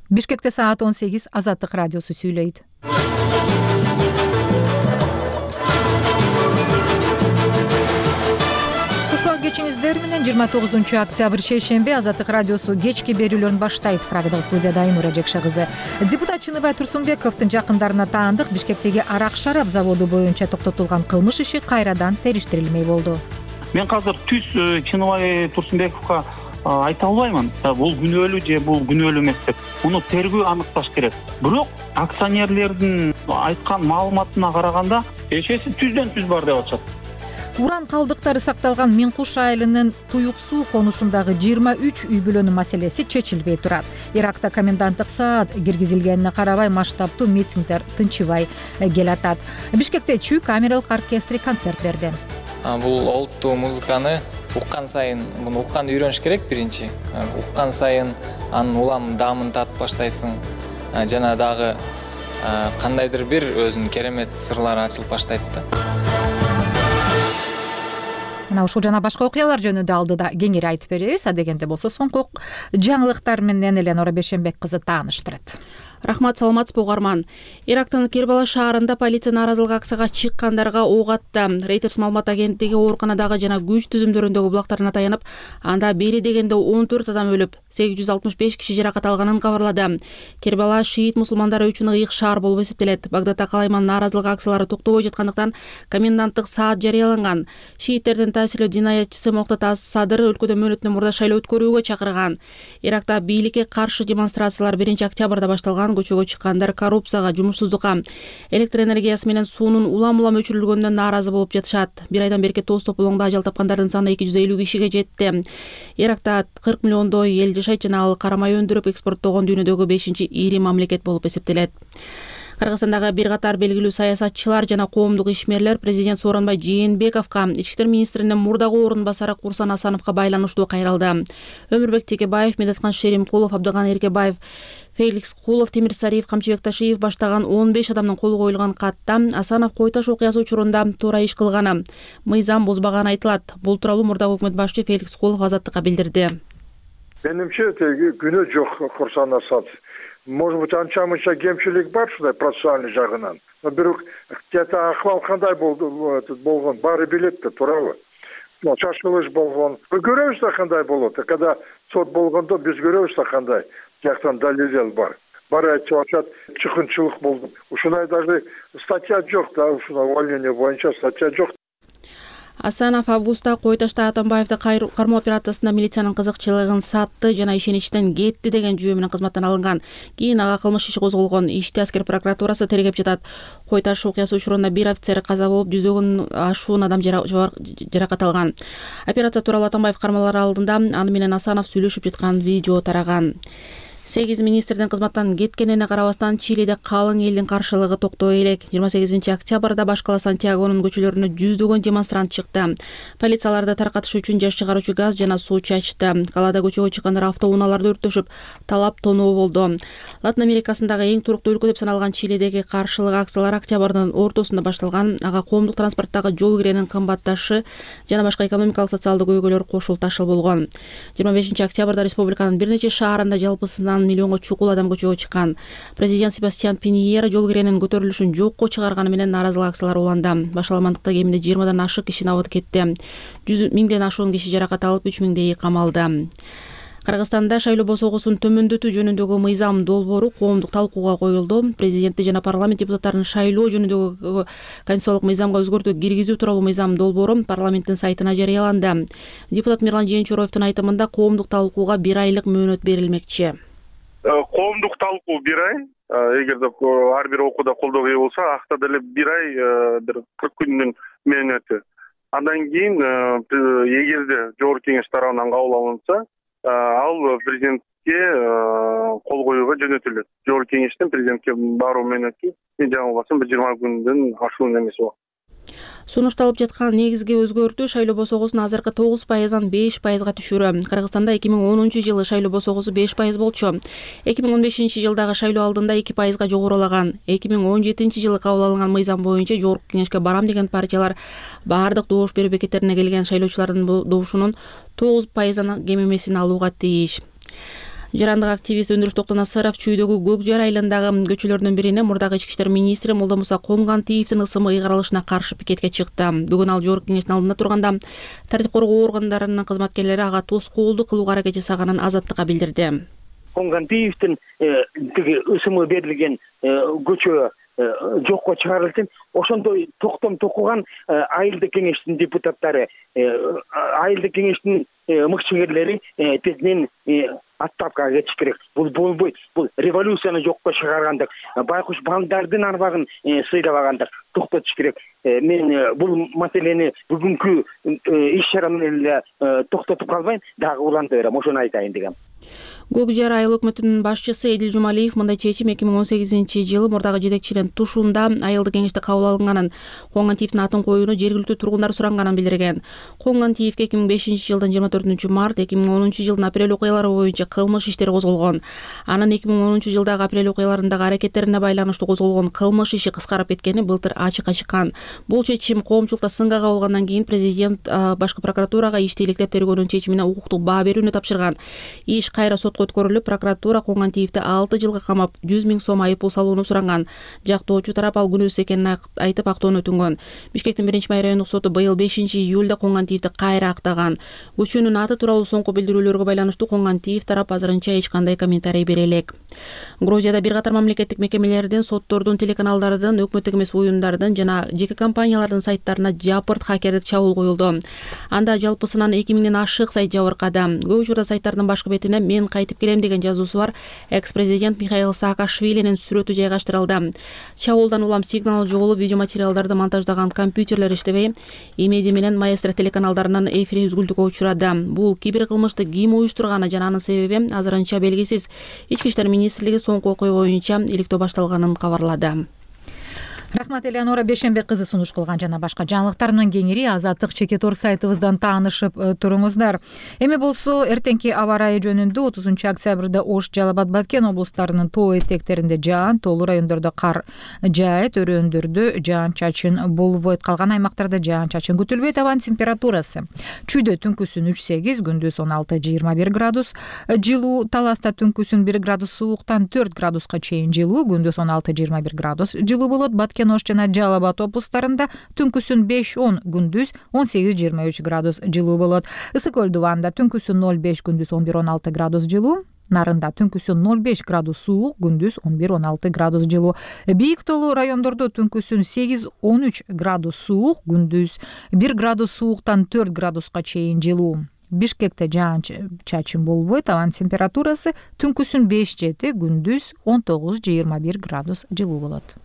Бишкекте саат 18 Азаттык радиосу сүйлөйт. Кушубак кечиңиздер менен 29 октябрь шейшемби Азаттык радиосу кечки берүүлөрүн баштайт. Прагадагы студияда Айнура Жекше кызы. Депутат Чыныбай Турсунбековдун жакындарына таандык Бишкектеги арак шарап заводу боюнча токтотулган кылмыш иши кайрадан териштирилмей болду. Мен азыр түз Чыныбай Турсунбековго айта албаймын. Бул күнөөлүү же бул күнөөлүү эмес деп. Муну тергөө аныкташ керек. Бирок акционерлердин айткан маалыматына караганда эшеси түздөн түз бар деп атышат. Уран калдыктары сакталган Миңкуш айылынын Туюк суу конушундагы 23 үй бүлөнүн маселеси чечилбей турат. Иракта коменданттык саат киргизилгенине карабай маштаптуу митингдер тынчыбай келатат. Бишкекте чүй камералык оркестри концерт берди. Бул олуттуу музыканы уккан сайын, муну укканды үйрөнүш керек биринчи. Уккан сайын анын улам даамын татып баштайсың. Жана дагы кандайдыр бир өзүнүн керемет сырлары ачылып баштайт да. Мына ушул жана башка окуялар жөнүндө алдыда кеңири айтып беребиз. Адегенде болсо соңку жаңылыктар менен Эленора Бешенбек кызы тааныштырат. Рахмат, саламатсызбы угарман. Ирактын Кербала шаарында полиция нааразылык акцияга чыккандарга ок атты. Reuters маалымат агенттиги ооруканадагы жана күч түзүмдөрүндөгү булактарына таянып, анда бери дегенде 14 адам өлүп, 865 киши жаракат алганын кабарлады. Кербала шиит мусулмандары үчүн ыйык шаар болуп эсептелет. Багдадда калайман нааразылык акциялары токтобой жаткандыктан коменданттык саат жарыяланган. Шииттердин таасирлүү динаятчысы Моктата Садыр өлкөдө мөөнөтүнөн мурда шайлоо өткөрүүгө чакырган. Иракта бийликке каршы демонстрациялар 1 октябрда башталган. Көчөгө чыккандар коррупцияга, жумушсуздукка, электр энергиясы менен суунун улам-улам өчүрүлгөнүнөн нааразы болуп жатышат. Бир айдан бери тоос тополоңдо ажал тапкандардын саны 250 кишиге жетти. Иракта 40 миллиондой эл жашайт жана ал карамай өндүрүп экспорттогон дүйнөдөгү 5-ири мамлекет болуп эсептелет. Кыргызстандагы бир катар белгилүү саясатчылар жана коомдук ишмерлер президент Сооронбай Жээнбековго, ички иштер министринин мурдагы орун басары Курсан Асановго байланыштуу кайрылды. Өмүрбек Текебаев, Медеткан Шеримкулов, Абдыган Эркебаев, Феликс Кулов, Темир Сариев, Камчыбек Ташиев баштаган 15 адамдын колу коюлган катта Асанов Кой Таш окуясы учурунда туура иш кылганы, мыйзам бузбаганы айтылат. Бул тууралуу мурдагы өкмөт башчы Феликс Кулов Азаттыкка билдирди. Менимче, күнөө жок Курсан Асанов. Может быть, анча-мынча кемчилик бар ушундай процессуальный жагынан. Бирок где-то акыбал кандай болгон, баары билет да, туурабы? Чачылыш болгон. Көрөбүз да кандай болот. Когда сот болгондо биз көрөбүз да кандай. Жактан далил бар. Баары айтып атышат, чыкынчылык болду. Ушундай даже статья жок да, ушундай увольнение боюнча статья жок. Асанов августта Кой Ташта Атамбаевди кармоо операциясында милициянын кызыкчылыгын сатты жана ишеничтен кетти деген жүйө менен кызматтан алынган. Кийин ага кылмыш иши козголгон. Ишти аскер прокуратурасы тергеп жатат. Кой Таш окуясы учурунда бир офицер каза болуп, жүздөгөн ашуун адам жаракат алган. Операция тууралуу Атамбаев кармалары алдында аны менен Асанов сүйлөшүп жаткан видео тараган. 8 министрдин кызматтан кеткенине карабастан Чилиде калың элдин каршылыгы токтой элек. 28 октябрда баш кала Сантьягонун көчөлөрүнө жүздөгөн демонстрант чыкты. Полицияларды таркатыш үчүн жаш чыгаруучу газ жана суу чачты. Калада көчөгө чыккандар автоунааларды өрттөшүп, талап тоноо болду. Латын Америкасындагы эң туруктуу өлкө деп саналган Чилидеги каршылык акциялар октябрдын ортосунда башталган. Ага коомдук транспорттагы жол киренин кымбатташы жана башка экономикалык социалдык көйгөйлөр кошул ташыл болгон. 25 октябрда республиканын бир нече шаарында жалпысынан миллионго чукул адам көчөгө чыккан. Президент Себастьян Пиньера жол киренин көтөрүлүшүн жокко чыгарганы менен нааразылык акциялар уланды. Башаламандыкта кеминде 20дан ашык киши набыт кетти. 100 миңден ашуун киши жаракат алып, 3 миңдейи камалды. Кыргызстанда шайлоо босогосун төмөндөтүү жөнүндөгү мыйзам долбоору коомдук талкууга коюлду. Президенти жана парламент депутаттарын шайлоо жөнүндөгү конституциялык мыйзамга өзгөртүү киргизүү тууралуу мыйзам долбоору парламенттин сайтына жарыяланды. Депутат Мирлан Жээнчуроевдун айтымында коомдук талкууга 1 айлык мөөнөт берилмекчи. Коомдук талкуу 1 ай, эгерде ар бир окууда колдоого ээ болсо, акта деле 1 ай, 40 күндүн мөөнөтү. Андан кийин эгерде жогорку кеңеш тарабынан кабыл алынса, ал президентке кол коюуга жөнөтүлөт. Жогорку кеңештен президентке баруу мөөнөтү жаңылбасам 20 күндөн ашуун эмес убакыт. Сунушталып жаткан негизги өзгөртүү шайлоо босогосун азыркы 9%дан 5%га түшүрүү. Кыргызстанда 2010-жылы шайлоо босогосу 5% болчу. 2015-жылдагы шайлоо алдында 2%га жогорулаган. 2017-жылы кабыл алынган мыйзам боюнча жогорку кеңешке барам деген партиялар баардык добуш берүү бекеттерине келген шайлоочулардын добушунун 9%дан кем эмесин алууга тийиш. Жарандык активист Өндүрүш Токтонасаров Чүйдөгү Көк Жар айылындагы көчөлөрдүн бирине мурдагы ички иштер министри Молдомуса Конгантиевдин ысымы ыйгарылышына каршы пикетке чыкты. Бүгүн ал жогорку кеңештин алдында турганда тартип коргоо органдарынын кызматкерлери ага тоскоолдук кылууга аракет жасаганын Азаттыкка билдирди. Конгантиевдин тиги ысымы берилген көчө жокко чыгарылсын. Ошондой токтом токуган айылдык кеңештин депутаттары, айылдык кеңештин мыкчыгерлери тезинен отставкага кетиш керек. Бул болбойт. Бул революцияны жокко чыгаргандык, байкуш балдардын арбагын сыйлабагандык токтотуш керек. Мен бул маселени бүгүнкү иш чара менен эле токтотуп калбайм, дагы уланта берем, ошону айтайын дегем. Көк Жар айыл өкмөтүнүн башчысы Эдил Жумалиев мындай чечим 2018-жылы мурдагы жетекчилин тушунда айылдык кеңеште кабыл алынганын, Конгантиевдин атын коюуну жергиликтүү тургундар суранганын билдирген. Конгантиевге 2005-жылдын 24-март, 2010-жылдын апрель окуялары боюнча кылмыш иштери козголгон. Анын 2010-жылдагы апрель окуяларындагы аракеттерине байланыштуу козголгон кылмыш иши кыскарып кеткени былтыр ачыкка чыккан. Бул чечим коомчулукта сынга кабылгандан кийин президент башкы прокуратурага ишти иликтеп тергөөнүн чечимине укуктук баа берүүнү тапшырган. Иш кайра сотко өткөрүлүп, прокуратура Конгантиевди 6 жылга камап 100 000 сом айыппул салууну суранган. Жактоочу тарап ал күнөөсүз экенин айтып актоону өтүнгөн. Бишкектин 1-май райондук соту быйыл 5-июлда Конгантиевди кайра актаган. Көчөнүн аты тууралуу соңку билдирүүлөргө байланыштуу Конгантиев тарап азырынча эч кандай комментарий бере элек. Грузияда бир катар мамлекеттик мекемелердин, соттордун, телеканалдардын, өкмөттүк эмес уюмдардын жана жеке компаниялардын сайттарына жапырт хакердик чабуул коюлду. Анда жалпысынан 2000ден ашык сайт жабыркады. Көп учурда сайттардын башкы бетине "Мен кайтып келем" деген жазуусу бар экс-президент Михаил Саакашвилинин сүрөтү жайгаштырылды. Чабуулдан улам сигнал жоголуп, видео материалдарды монтаждаган компьютерлер иштебей, Имеди менен Маэстро телеканалдарынын эфири үзгүлтүккө учурады. Бул киберкылмышты ким уюштурганы жана анын себеби азырынча белгисиз. Ички иштер министрлиги соңку окуя боюнча иликтөө башталганын кабарлады. Рахмат Элеонора Бешенбек кызы сунуш кылган жана башка жаңылыктар менен кеңири Азаттык Чекиторг сайтыбыздан таанышып туруңуздар. Эми болсо эртеңки аба ырайы жөнүндө 30-октябрда Ош, Жалал Абад, Баткен облустарынын тоо этектеринде жаан, тоолуу райондордо кар жаайт, өрөөндөрдө жаан-чачын болбойт. Калган аймактарда жаан-чачын күтүлбөйт. Абанын температурасы Чүйдө түнкүсүн 3-8, күндүз 16-21 градус жылуу, Таласта түнкүсүн 1 градус сууктан 4 градуска чейин жылуу, күндүз 16-21 градус жылуу болот. Ош жана Жалал Абад облустарында түнкүсүн 5-10, күндүз 18-23 градус жылуу болот. Ысык Көлдү Ванда түнкүсүн 0-5, күндүз 11-16 градус жылуу. Нарында түнкүсүн 0-5 градус суук, күндүз 11-16 градус жылуу. Бийик тоолуу райондордо түнкүсүн 8-13 градус суук, күндүз 1 градус сууктан 4 градуска чейин жылуу. Бишкекте жаан-чачын болбойт. Абанын температурасы түнкүсүн 5-7, күндүз 19-21 градус жылуу болот.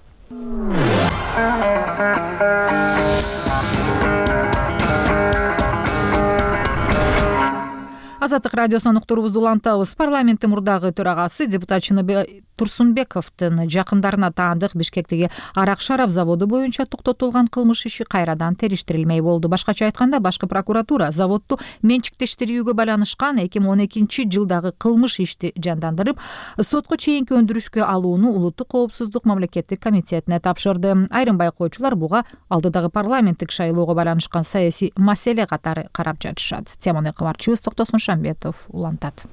Азаттык радиосунан уктуруубузду улантабыз. Парламенттин мурдагы төрагасы депутат Чыныбек Турсунбековдун жакындарына таандык Бишкектеги арак шарап заводу боюнча токтотулган кылмыш иши кайрадан териштирилмей болду. Башкача айтканда, башкы прокуратура заводду менчиктештирүүгө байланышкан 2012-жылдагы кылмыш ишти жандандырып, сотко чейинки өндүрүшкө алууну Улуттук коопсуздук мамлекеттик комитетине тапшырды. Айрым байкоочулар буга алдыдагы парламенттик шайлоого байланышкан саясий маселе катары карап жатышат. Теманы кабарчыбыз Токтосун Шамбетов улантат.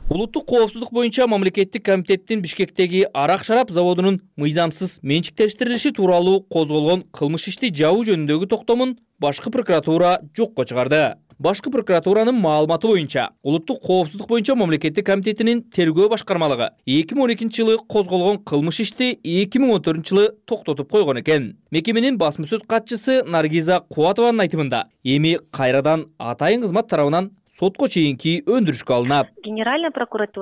Улуттук коопсуздук боюнча мамлекеттик комитеттин Бишкектеги арак шарап заводунун мыйзамсыз менчиктештирилиши тууралуу козголгон кылмыш ишти жабуу жөнүндөгү токтомун башкы прокуратура жокко чыгарды. Башкы прокуратуранын маалыматы боюнча, Улуттук коопсуздук боюнча мамлекеттик комитетинин тергөө башкармалыгы 2012-жылы козголгон кылмыш ишти 2014-жылы токтотуп койгон экен. Мекеменин басма сөз катчысы Наргиза Кубатованын айтымында, эми кайрадан атайын кызмат тарабынан сотко чейинки өндүрүшкө алынат.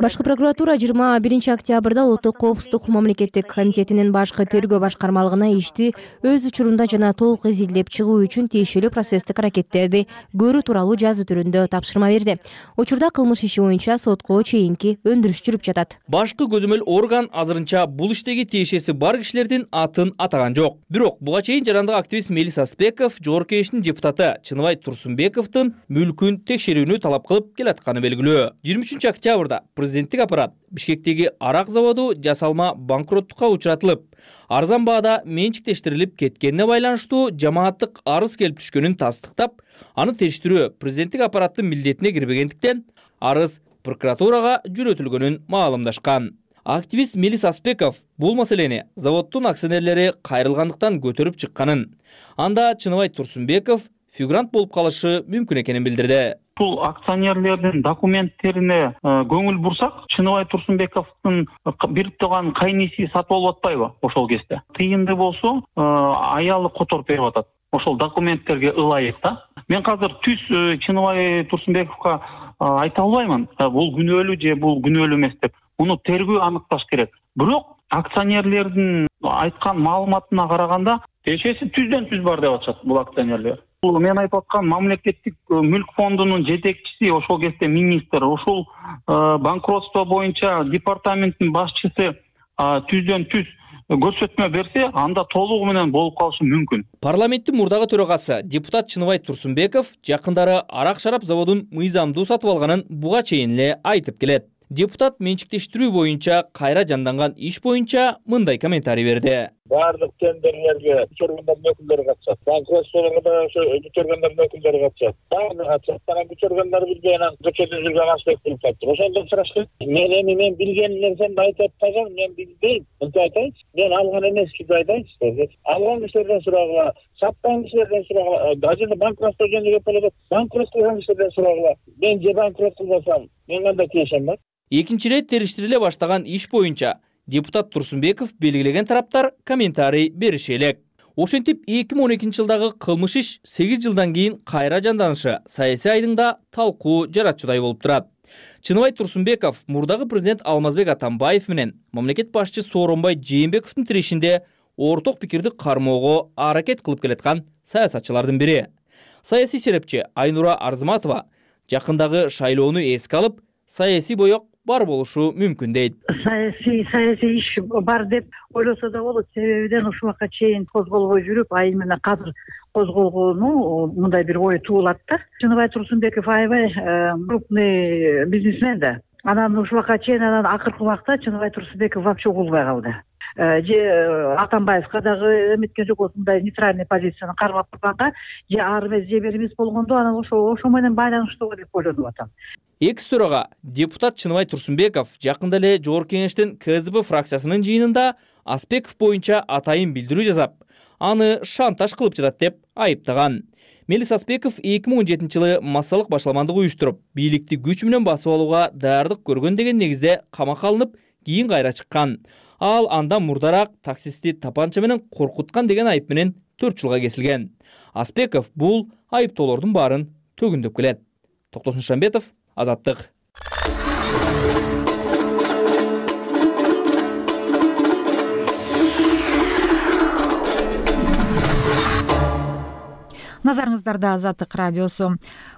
Башкы прокуратура 21-октябрда Улуттук коопсуздук мамлекеттик комитетинин башкы тергөө башкармалыгына ишти өз учурунда жана толук изилдеп чыгуу үчүн тиешелүү процесстик аракеттерди көрүү тууралуу жазуу түрүндө тапшырма берди. Учурда кылмыш иши боюнча сотко чейинки өндүрүш жүрүп жатат. Башкы көзөмөл орган азырынча бул иштеги тиешеси бар кишилердин атын атаган жок. Бирок буга чейин жарандык активист Мелис Аспеков жогорку кеңештин депутаты Чыныбай Турсунбековдун мүлкүн текшерүүнү талап кылып келатканы белгилүү. 23-октябрда президенттик аппарат Бишкектеги арак заводу жасалма банкроттукка учуратылып, арзан баада менчиктештирилип кеткенине байланыштуу жамааттык арыз келип түшкөнүн тастыктап, аны териштирүү президенттик аппараттын милдетине кирбегендиктен арыз прокуратурага жөнөтүлгөнүн маалымдашкан. Активист Мелис Аспеков бул маселени заводдун акционерлери кайрылгандыктан көтөрүп чыкканын, анда Чыныбай Турсунбеков фигурант болуп калышы мүмкүн экенин билдирди. Бул акционерлердин документтерине көңүл бурсак, Чыныбай Турсунбековдун берип турган кайниси сатып алып атпайбы ошол кезде. Тыйынды болсо аялы которуп берип атат. Ошол документтерге ылайык да. Мен азыр түз Чыныбай Турсунбековго айта албаймын. Бул күнөөлүү же бул күнөөлүү эмес деп. Муну тергөө аныкташ керек. Бирок акционерлердин айткан маалыматына караганда эшеси түздөн түз бар деп атышат бул акционерлер. Бул мен айтып аткан мамлекеттик мүлк фондунун жетекчиси, ошол кезде министр, ошол банкротство боюнча департаменттин башчысы түздөн түз көрсөтмө берсе, анда толугу менен болуп калышы мүмкүн. Парламенттин мурдагы төрагасы депутат Чыныбай Турсунбеков жакындары арак шарап заводун мыйзамдуу сатып алганын буга чейин эле айтып келет. Депутат менчиктештирүү боюнча кайра жанданган иш боюнча мындай комментарий берди. Баардык тендерлерге бүчөргөндөрдүн өкүлдөрү катышат. Банкротстволорго да ошо бүчөргөндөрдүн өкүлдөрү катышат. Баардыгы катышат. Анан бүчөргөндөр билбей анан көчөдө жүргөн Аспек болуп калыптыр. Ошондон сурашты. Мен билген нерсемди айтып атпасам, мен билбейм. Мынтип айтайынчы. Мен алган эмес деп айтайынчы. Алган кишилерден сурагыла, саткан кишилерден сурагыла. Ажында банкротство жөнүндө кеп болот. Банкрот кылган кишилерден сурагыла. Мен же банкрот кылбасам, мен кандай тиешем бар? Экинчи рет териштириле баштаган иш боюнча депутат Турсунбеков белгилеген тараптар комментарий бериши элек. Ошентип 2012 жылдагы кылмыш иш 8 жылдан кийин кайра жанданышы саясий айдыңда талкуу жаратчудай болуп турат. Чыныбай Турсунбеков мурдагы президент Алмазбек Атамбаев менен мамлекет башчы Сооронбай Жээнбековдун тирешинде орток пикирди кармоого аракет кылып келаткан саясатчылардын бири. Саясий серепчи Айнура Арзыматова жакындагы шайлоону эске алып, саясий боек бар болушу мүмкүн дейт. Саясий иш бар деп ойлосо да болот. Себебиден ушул убакка чейин козголбой жүрүп, именно азыр козголгону мындай бир ой туулат да. Чыныбай Турсунбеков аябай крупный бизнесмен да. Анан ушул убакка чейин акыркы убакта Чыныбай Турсунбеков вообще угулбай калды. Же Атамбаевка дагы эметкен жок, осундай нейтральный позицияны кармап турганга, же ар эмес же бир эмес болгондо анан ошо менен байланыштуу деп ойлонуп атам. Экс-төрага депутат Чыныбай Турсунбеков жакында эле Жогорку Кеңештин КСДП фракциясынын жыйынында Аспеков боюнча атайын билдирүү жасап, аны шантаж кылып жатат деп айыптаган. Мелис Аспеков 2017 жылы массалык башаламандык уюштуруп, бийликти күч менен басып алууга даярдык көргөн деген негизде камакка алынып, кийин кайра чыккан. Ал андан мурдараак таксистти тапанча менен коркуткан деген айып менен 4 жылга кесилген. Аспеков бул айыптоолордун баарын төгүндөп келет. Токтосун Шамбетов, Азаттык. Назарыңыздарда Азаттык радиосу.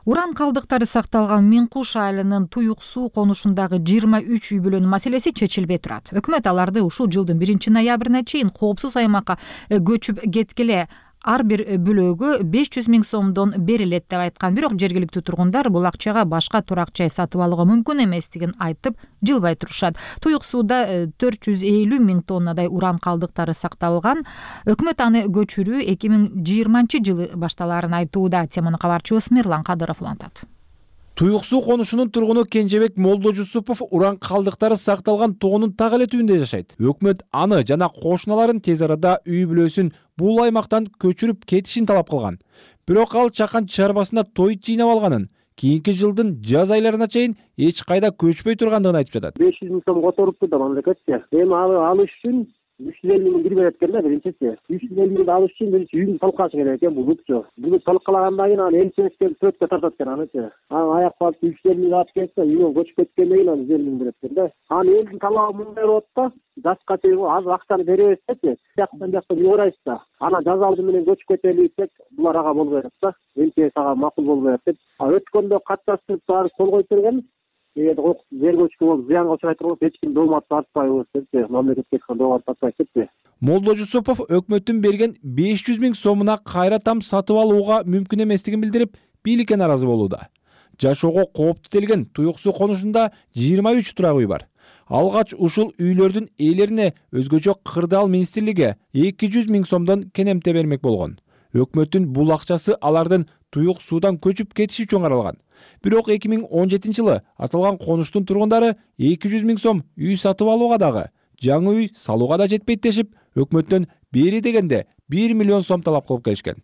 Уран калдыктары сакталган Миң Куш айылынын Туюк суу конушундагы 23 үй бүлөнүн маселеси чечилбей турат. Өкмөт аларды ушул жылдын 1-ноябрына чейин коопсуз аймакка көчүп кеткиле, ар бир бүлөгө 500 000 сомдон берилет деп айткан. Бирок жергиликтүү тургундар бул акчага башка турак жай сатып алууга мүмкүн эместигин айтып жылбай турушат. Туюк сууда 450 000 тоннадай уран калдыктары сакталган. Өкмөт аны көчүрүү 2020 жылы башталаарын айтууда. Теманы кабарчыбыз Мирлан Кадыров улантат. Туюк суу конушунун тургуну Кенжебек Молдожусупов уран калдыктары сакталган тоонун так эле түбүндө жашайт. Өкмөт аны жана кошуналарын тез арада үй бүлөсүн бул аймактан көчүрүп кетишин талап кылган. Бирок ал чакан чарбасына той жыйнап алганын, кийинки жылдын жаз айларына чейин эч кайда көчпөй тургандыгын айтып жатат. 500 000 сом которупту да мамлекетке. Эми алыш үчүн 350 000 кирбей экен да биринчиси. 350 000 алыш үчүн биринчи үйдү талкалаш керек экен бул бутчу. Буну талкалагандан кийин аны элческе төрткө тартат экен анычы. Аны аяк басып 350 000 алып келсе, үйгө көчүп кеткенден кийин аны 100 000 берет экен да. Аны элдин талабы мындай болот да. Жашка чейин азыр акчаны беребиз депчи. Жактан юурайсыз да. Анан жаз алды менен көчүп кетели десек, булар ага болбой атат да. Элчес ага макул болбой атат деп. Өткөндө катташтырып баары кол коюп берген. Эгер жер көчкү болуп зыянга учурайт болсо эч ким доомат тартпайбыз депчи. Мамлекетке доомат тартпайт депчи. Молдожусупов өкмөттүн берген 500 000 сомуна кайра там сатып алууга мүмкүн эместигин билдирип, бийликке наразы болууда. Жашоого кооптуу делген Туюк суу конушунда 23 турак үй бар. Алгач ушул үйлөрдүн ээлерине өзгөчө Кырдаал министрлиги 200 000 сомдон кенемте бермек болгон. Өкмөттүн бул акчасы алардын Туюк суудан көчүп кетиши үчүн каралган. Бирок 2017-жылы аталган конуштун тургундары 200 000 сом үй сатып алууга дагы, жаңы үй салууга да жетпейт дешип, өкмөттөн бери дегенде 1 миллион сом талап кылып келишкен.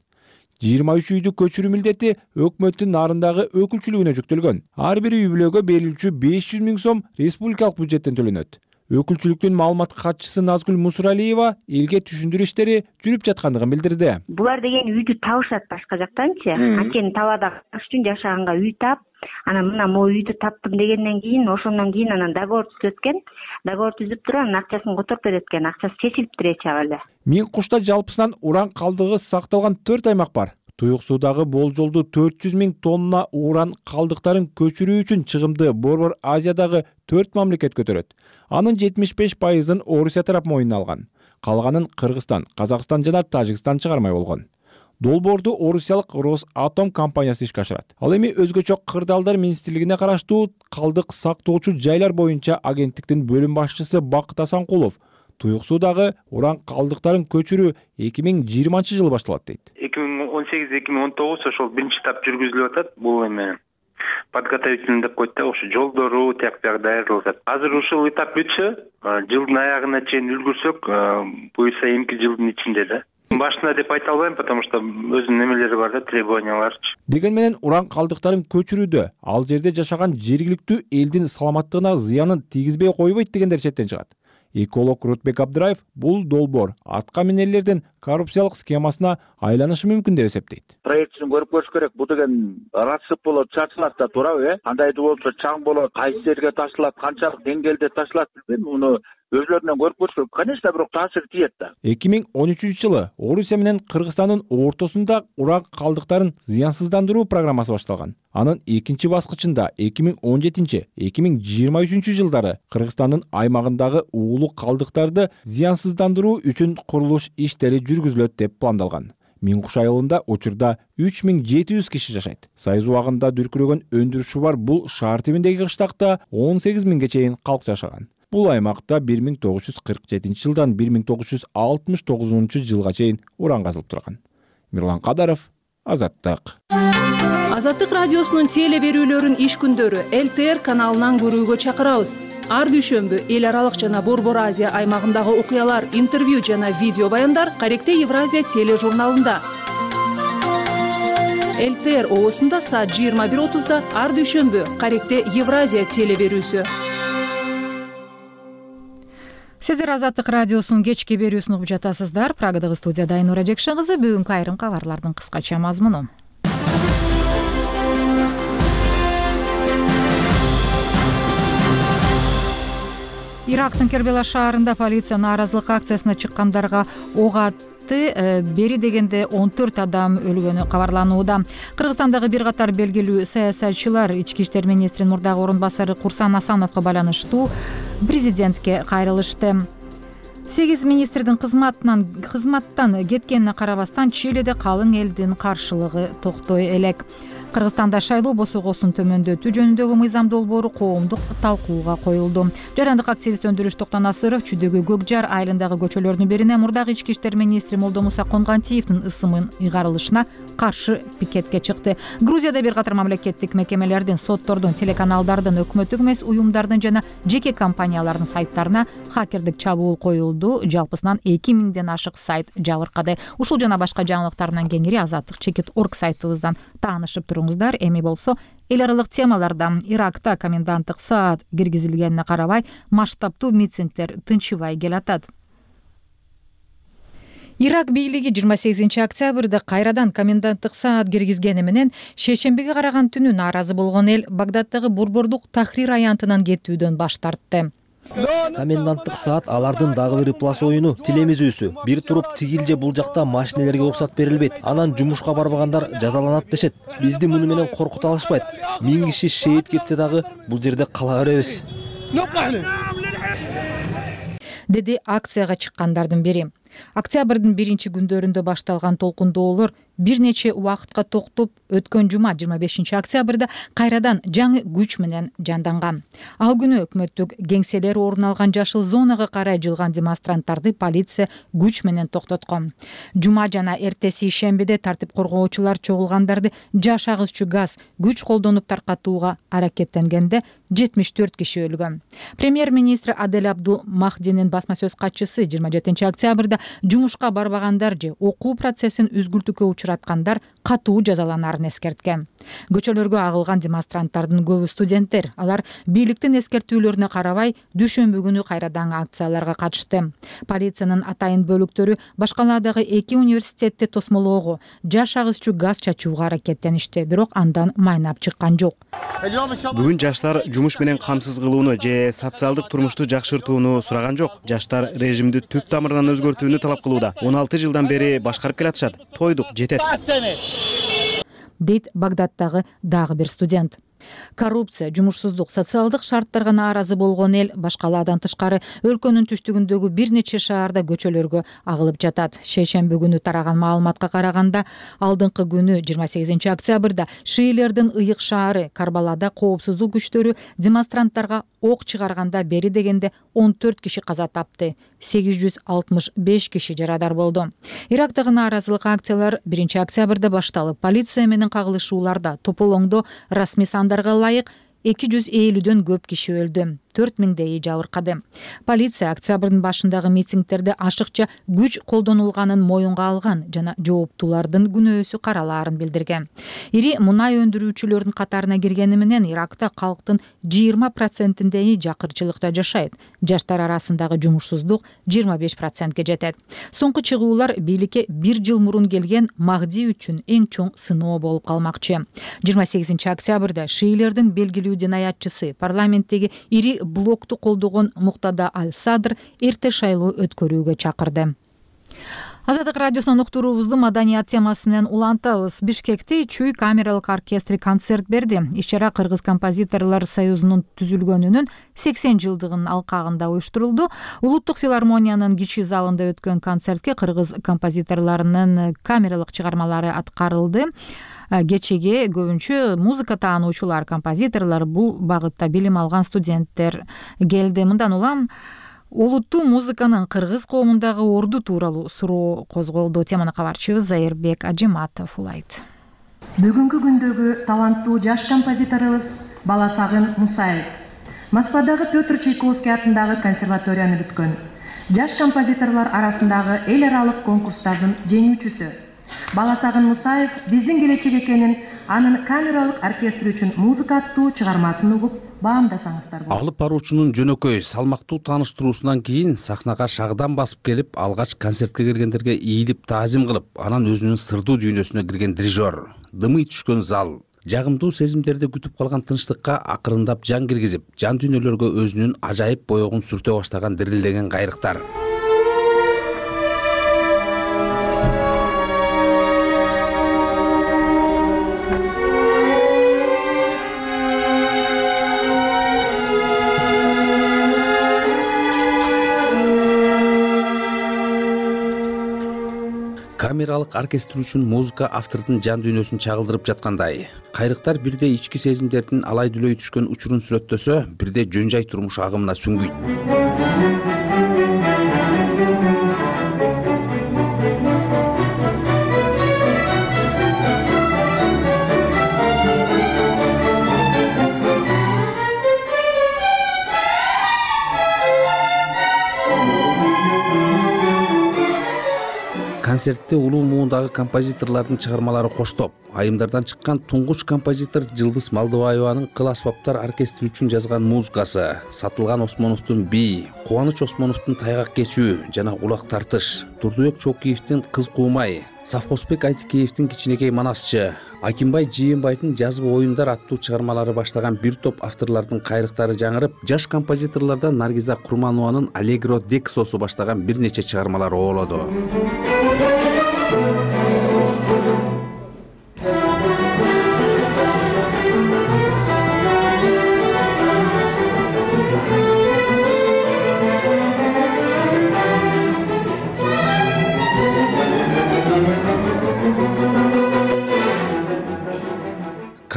23 үйдү көчүрүү милдети өкмөттүн нарындагы өкүлчүлүгүнө жүктөлгөн. Ар бир үй бүлөгө берилүүчү 500 000 сом республикалык бюджеттен төлөнөт. Өкүлчүлүктүн маалымат катчысы Назгүл Мусуралиева элге түшүндүрүү иштери жүрүп жаткандыгын билдирди. Булар деген үйдү табышат башка жактанчы. Анткени талаада кыш үчүн жашаганга үй тап, анан мына могу үйдү таптым дегенден кийин, ошондон кийин анан договор түзөт экен. Договор түзүп туруп анан акчасын которуп берет экен. Акчасы чечилиптир эч абалы. Миң Кушта жалпысынан уран калдыгы сакталган 4 аймак бар. Туюк Суудагы болжолду 400 000 тонна уран калдыктарын көчүрүү үчүн чыгымды Борбор Азиядагы 4 мамлекет көтөрөт. Анын 75%-ын Орусия тарап мойнуна алган. Калганын Кыргызстан, Казакстан жана Тажикстан чыгармай болгон. Долбоорду орусиялык Росатом компаниясы ишке ашырат. Ал эми өзгөчө кырдаалдар министрлигине караштуу калдык сактоочу жайлар боюнча агенттиктин бөлүм башчысы Бакыт Асанкулов Туюк Суудагы уран калдыктарын көчүрүү 2020-жылы башталат дейт. 2018-2019 ошол биринчи этап жүргүзүлүп атат. Бул эми подготовительный деп коет да, ошо жолдору тияк даярдалып атат. Азыр ушул этап бүтсө, жылдын аягына чейин үлгүрсөк, буюрса эмки жылдын ичинде да. Башында деп айта албайм, потому что өзүнүн немелери бар да, требованияларчы. Деген менен уран калдыктарын көчүрүүдө ал жерде жашаган жергиликтүү элдин саламаттыгына зыянын тийгизбей койбойт дегендер четтен чыгат. Эколог Рутбек Абдыраев бул долбоор атка минерлердин коррупциялык схемасына айланышы мүмкүн деп эсептейт. Проектин көрүп көрүш керек. Бул деген расып болот, чачылат да, туурабы? Кандайдыр болсо чаң болот, кайсы жерге ташылат, канчалык деңгээлде ташылат билбейм. Муну өзлөрүнөн көрүп көрүш керек. Конечно, бирок таасир тиет да. 2013-жылы Орусия менен Кыргызстандын ортосунда уран калдыктарын зыянсыздандыруу программасы башталган. Анын экинчи баскычында 2017-2023 жылдары Кыргызстандын аймагындагы уулук калдыктарды зыянсыздандыруу үчүн курулуш иштери жүргүзүлөт деп пландалган. Миң Куш айылында учурда 3700 киши жашайт. Сайыз убагында дүркүрөгөн өндүрүшү бар бул шаар тибиндеги кыштакта 18 000ге чейин калк жашаган. Бул аймакта 1947 жылдан 1969 жылга чейин уран казылып турган. Мирлан Кадаров, Азаттык. Азаттык радиосунун теле берүүлөрүн иш күндөрү ЛТР каналынан көрүүгө чакырабыз. Ар дүйшөмбү эл аралык жана Борбор Азия аймагындагы окуялар, интервью жана видео баяндар Каректе Евразия тележурналында. ЛТР оосунда саат 21:30 ар дүйшөмбү Каректе Евразия теле берүүсү. Сиздер Азаттык радиосунун кечки берүүсүн угуп жатасыздар. Прагадагы студияда Айнура Жекшен кызы. Бүгүнкү айрым кабарлардын кыскача мазмуну. Ирактын Кербела шаарында полиция нааразылык акциясына чыккандарга ок атты. Бери дегенде 14 адам өлгөнү кабарланууда. Кыргызстандагы бир катар белгилүү саясатчылар ички иштер министринин мурдагы орун басары Курсан Асановго байланыштуу президентке кайрылышты. 8 министрдин кызматтан кеткенине карабастан Чилиде калың элдин каршылыгы токтой элек. Кыргызстанда шайлоо босогосун төмөндөтүү жөнүндөгү мыйзам долбоору коомдук талкууга коюлду. Жарандык активист Өндүрүш Токтонасыров Чүдөгү Көкжар айылындагы көчөлөрдүн бирине мурдагы ички иштер министри Молдомуса Конгантиевдин ысымын ыйгарылышына каршы пикетке чыкты. Грузияда бир катар мамлекеттик мекемелердин, соттордун, телеканалдардын, өкмөттүк эмес уюмдардын жана жеке компаниялардын сайттарына хакердик чабуул коюлду. Жалпысынан 2000ден ашык сайт жабыркады. Ушул жана башка жаңылыктар менен кеңири Азаттык.org сайтыбыздан таанышып туруңуздар. Эми болсо эл аралык темалардан Иракта коменданттык саат киргизилгенине карабай масштабтуу митингдер тынчыбай келатат. Ирак бийлиги 28 октябрда кайрадан коменданттык саат киргизгени менен шейшембиге караган түнү нааразы болгон эл Багдаддагы Бурбордук Тахрир аянтынан кетүүдөн баш тартты. Коменданттык саат алардын дагы бир плас оюну тилемизүүсү. Бир туруп тигил же бул жакта машинелерге уруксат берилбейт. Анан жумушка барбагандар жазаланат дешет. Бизди муну менен коркута алышпайт. 1000 киши шейит кетсе дагы бул жерде кала беребиз. Деди акцияга чыккандардын бири. Октябрдын 1-күндөрүндө башталган толкундоолор бир нече убакытка токтоп, өткөн жума 25-октябрда кайрадан жаңы күч менен жанданган. Ал күнү өкмөттүк кеңселер орун алган жашыл зонага карай жылган демонстранттарды полиция күч менен токтоткон. Жума жана эртеси ишембиде тартип коргоочулар чогулгандарды жаш агызчу газ күч колдонуп таркатууга аракеттенгенде 74 киши өлгөн. Премьер-министр Адель Абдул Махдинин басма сөз катчысы 27-октябрда жумушка барбагандар же окуу процессин үзгүлтүккө учураткандар катуу жазаланарын эскерткен. Көчөлөргө агылган демонстранттардын көбү студенттер. Алар бийликтин эскертүүлөрүнө карабай дүйшөмбү күнү кайрадан акцияларга катышты. Полициянын атайын бөлүктөрү башкаладагы 2 университетти тосмолоого, жаш агызчу газ чачууга аракеттеништи, бирок андан майнап чыккан жок. Бүгүн жаштар жумуш менен камсыз кылууну же социалдык турмушту жакшыртууну сураган жок. Жаштар режимди түп тамырынан өзгөртүүнү талап кылууда. 16 жылдан бери башкарып келатышат. Тойдук, жетет. Дейт Багдадтагы дагы бир студент. Коррупция, жумушсуздук, социалдык шарттарга нааразы болгон эл башкалаадан тышкары өлкөнүн түштүгүндөгү бир нече шаарда көчөлөргө агылып жатат. Шейшемби күнү тараган маалыматка караганда, алдыңкы күнү 28-октябрда шиилердин ыйык шаары Карбалада коопсуздук күчтөрү демонстранттарга ок чыгарганда бери дегенде 14 киши каза тапты, 865 киши жарадар болду. Ирактагы нааразылык акциялар 1-октябрда башталып, полиция менен кагылышууларда тополоңдо расмий сандарга ылайык 250дөн көп киши өлдү, 4000дей жабыркады. Полиция октябрдын башындагы митингдерде ашыкча күч колдонулганын моюнга алган жана жооптуулардын күнөөсү каралаарын билдирген. Ири мунай өндүрүүчүлөрдүн катарына киргени менен Иракта калктын 20%-дей жакырчылыкта жашайт. Жаштар арасындагы жумушсуздук 25%ге жетет. Соңку чыгуулар бийликке 1 жыл мурун келген Махди үчүн эң чоң сыноо болуп калмакчы. 28-октябрда шиилердин белгилүү динаятчысы парламенттеги ири блокту колдогон Муктада Аль-Садр эрте шайлоо өткөрүүгө чакырды. Азаттык радиосунун уктуруубузду маданият темасы менен улантабыз. Бишкекте Чүй камералык оркестри концерт берди. Иш-чара Кыргыз композиторлор союзунун түзүлгөнүнүн 80 жылдыгынын алкагында уюштурулду. Улуттук филармониянын кичи залында өткөн концертке кыргыз композиторлорунун камералык чыгармалары аткарылды. Кечеге көбүнчө музыка таануучулар, композиторлор, бул багытта билим алган студенттер келди. Мындан улам улуттуу музыканын кыргыз коомундагы орду тууралуу суроо козголду. Теманы кабарчыбыз Зайырбек Ажиматов улайт. Бүгүнкү күндөгү таланттуу жаш композиторубуз Баласагын Мусаев Москвадагы Петр Чайковский атындагы консерваторияны бүткөн. Жаш композиторлор арасындагы эл аралык конкурстардын жеңүүчүсү. Баласагын Мусаев биздин келечек экенин, анын камералык оркестр үчүн музыка аттуу чыгармасын угуп баамдасаңыздар болот. Алып баруучунун жөнөкөй, салмактуу тааныштыруусунан кийин сахнага шагдан басып келип, алгач концертке келгендерге ийилип таазим кылып, анан өзүнүн сырдуу дүйнөсүнө кирген дирижер, дымый түшкөн зал, жагымдуу сезимдерди күтүп калган тынчтыкка акырындап жан киргизип, жан дүйнөлөргө өзүнүн ажайып боёгун сүртө баштаган дирилдеген кайрыктар. Камералык оркестр үчүн музыка автордун жан дүйнөсүн чагылдырып жаткандай. Кайрыктар бирде ички сезимдердин алай дүлөй түшкөн учурун сүрөттөсө, бирде жөн жай турмуш агымына сүңгүйт. Концертте улуу муундагы композиторлордун чыгармалары коштоп, айымдардан чыккан туңгуч композитор Жылдыз Малдыбаеванын кыл асбаптар оркестри үчүн жазган музыкасы, Сатылган Осмоновдун бий, Кубаныч Осмоновдун Тайгак кечүү жана Улак тартыш, Турдубек Чокиевдин Кыз куумай, Савхозбек Айтикеевдин Кичинекей Манасчы, Акимбай Жыйынбайдын Жазбы оюндар аттуу чыгармалары баштаган бир топ авторлордун кайрыктары жаңырып, жаш композиторлордон Наргиза Курманованын Аллегро Дексосу баштаган бир нече чыгармалары оолоду.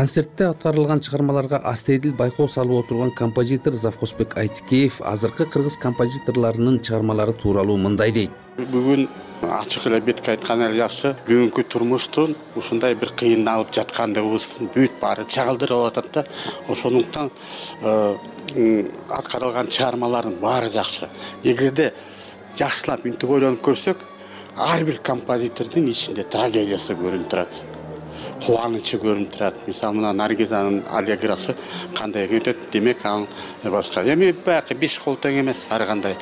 концертте аткарылган чыгармаларга астейдил байкоо салып отурган композитор Завхозбек Айтикеев азыркы кыргыз композиторлорунун чыгармалары тууралуу мындай дейт. Бүгүн ачык эле бетке айткан эле жакшы. Бүгүнкү турмуштун ушундай бир кыйналып жаткандыгыбыздын бүт баары чагылдырып атат да. Ошондуктан аткарылган чыгармалардын баары жакшы. Эгерде жакшылап мынтип ойлонуп көрсөк, ар бир композитордун ичинде трагедиясы көрүнүп турат. Кубанычы көрүнүп турат. Мисалы мына Наргизанын аллеграсы кандай өтөт, демек анын башка. Эми баягы 5 кол тең эмес ар кандай.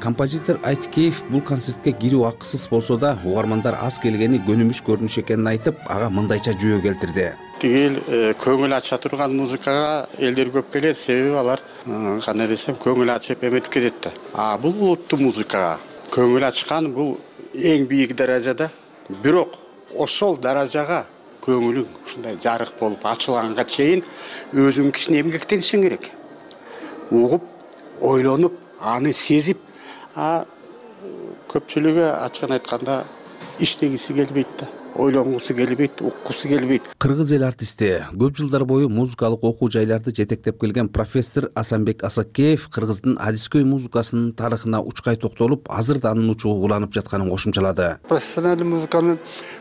Композитор Айтикеев бул концертке кирүү акысыз болсо да, угармандар аз келгени көнүмүш көрүнүш экенин айтып, ага мындайча жөө келтирди. Тигил көңүл ача турган музыкага элдер көп келет, себеби алар кандай десем, көңүл ачып эметип кетет да. Бул улуттуу музыкага көңүл ачкан бул эң бийик даражада, бирок ошол даражага көңүлүң ушундай жарык болуп ачылганга чейин өзүң кичине эмгектенишиң керек. Угуп, ойлонуп, аны сезип, көпчүлүгү ачыгын айтканда иштегиси келбейт да, ойлонгусу келбейт, уккусу келбейт. Кыргыз эл артисти, көп жылдар бою музыкалык окуу жайларды жетектеп келген профессор Асанбек Асакеев кыргыздын адискөй музыкасынын тарыхына учкай токтолуп, азыр да анын учугу уланып жатканын кошумчалады. Профессионалдуу музыканы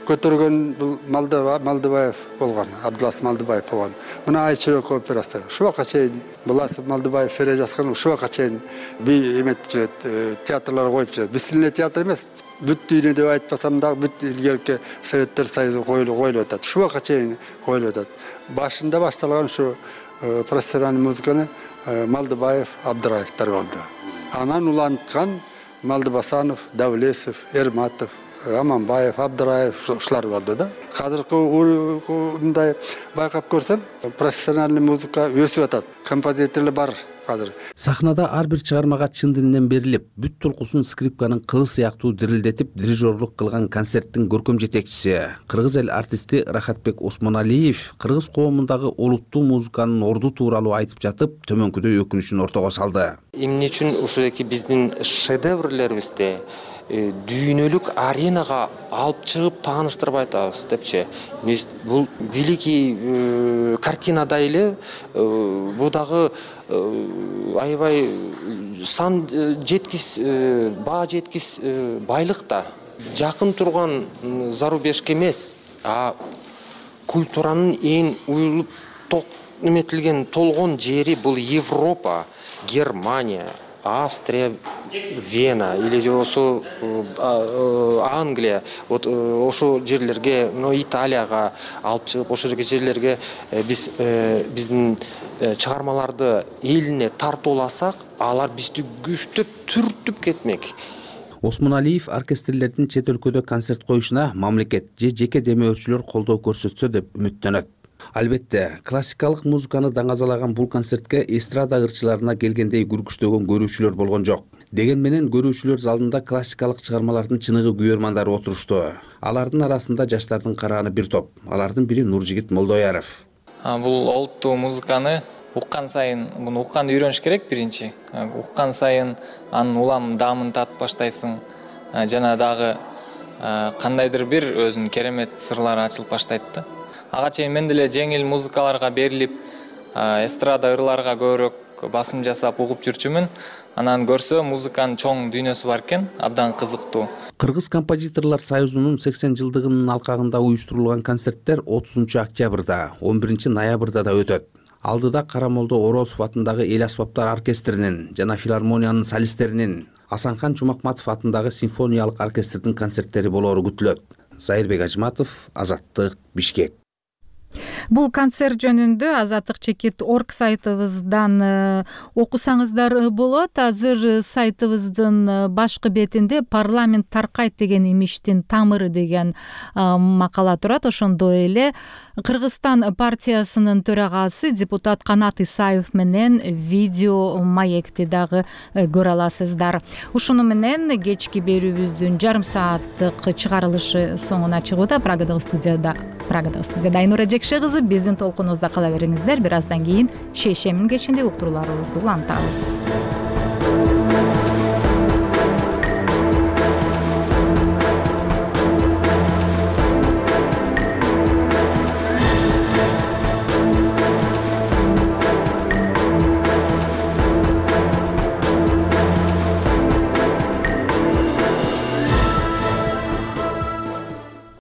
көтөргөн бул Малдыбаев болгон, Абдулас Малдыбаев болгон. Мына Айчырөк операсы. Ушуга чейин Буласов Малдыбаев фере жазган, ушуга чейин бий эметип жүрөт, театрлар коюп жүрөт. Биздин эле театр эмес. Бүт дүйнө деп айтпасам да, бүт илгерки Советтер Союзу коюлуп атат. Ушуга чейин коюлуп атат. Башында башталган ушу профессионалдуу музыканы Малдыбаев, Абдыраевтер болду. Анан уланткан Малдыбасанов, Давлесов, Эрматов, Аманбаев, Абдыраев ушулар болду да. Азыркы мындай байкап көрсөм, профессионалдуу музыка өсүп атат. Композиторлор бар азыр. Сахнада ар бир чыгармага чын дилинен берилип, бүт толкусун скрипканын кылы сыяктуу дирилдетип, дирижерлук кылган концерттин көркөм жетекчиси, кыргыз эл артисти Рахатбек Осмоналиев кыргыз коомундагы улуттуу музыканын орду тууралуу айтып жатып, төмөнкүдөй өкүнүчүн ортого салды. Эмне үчүн ушуеки биздин шедеврлерибизди дүйнөлүк аренага алып чыгып тааныштырбай атабыз депчи. Бул великий картинада эле бул дагы аябай сан жеткис, баа жеткис байлык да. Жакын турган зарубежге эмес, культуранын эң уюлуп эметилген толгон жери бул Европа, Германия, Австрия, Вена или болсо Англия, вот ошол жерлерге, Италияга алып чыгып, ошол жерлерге биздин чыгармаларды элине тартууласак, алар бизди күчтөп түртүп кетмек. Осмоналиев оркестрлердин чет өлкөдө концерт коюшуна мамлекет же жеке демөөрчүлөр колдоо көрсөтсө деп үмүттөнөт. Албетте, классикалык музыканы даңазалаган бул концертке эстрада ырчыларына келгендей күркүчтөгөн көрүүчүлөр болгон жок. Деген менен көрүүчүлөр залында классикалык чыгармалардын чыныгы күйөрмандары отурушту. Алардын арасында жаштардын карааны бир топ. Алардын бири Нуржигит Молдояров. Бул олуттуу музыканы уккан сайын, муну укканды үйрөнүш керек биринчи. Уккан сайын анын улам даамын татып баштайсың. Жана дагы кандайдыр бир өзүнүн керемет сырлары ачылып баштайт да. Ага чейин мен деле жеңил музыкаларга берилип, эстрада ырларга көбүрөөк басым жасап угуп жүрчүмүн. Анан көрсө музыканын чоң дүйнөсү бар экен, абдан кызыктуу. Кыргыз композиторлор союзунун 80 жылдыгынын алкагында уюштурулган концерттер 30 октябрда, 11 ноябрда да өтөт. Алдыда Карамолдо Орозов атындагы эл аспаптар оркестринин жана филармониянын солисттеринин, Асанхан Чумакматов атындагы симфониялык оркестрдин концерттери болоору күтүлөт. Зайырбек Ажматов, Азаттык, Бишкек. Бул концерт жөнүндө azattik.org сайтыбыздан окусаңыздар болот. Азыр сайтыбыздын башкы бетинде парламент таркайт деген имиштин тамыры деген макала турат. Ошондой эле Кыргызстан партиясынын төрагасы депутат Канат Исаев менен видео маекти дагы көрө аласыздар. Ушуну менен кечки берүүбүздүн жарым сааттык чыгарылышы соңуна чыгууда. Прагадагы студияда Айнура Жекшекызы жазып биздин толкунубузда кала бериңиздер. Бир аздан кийин шейшемин кечинде уктурууларыбызды улантабыз.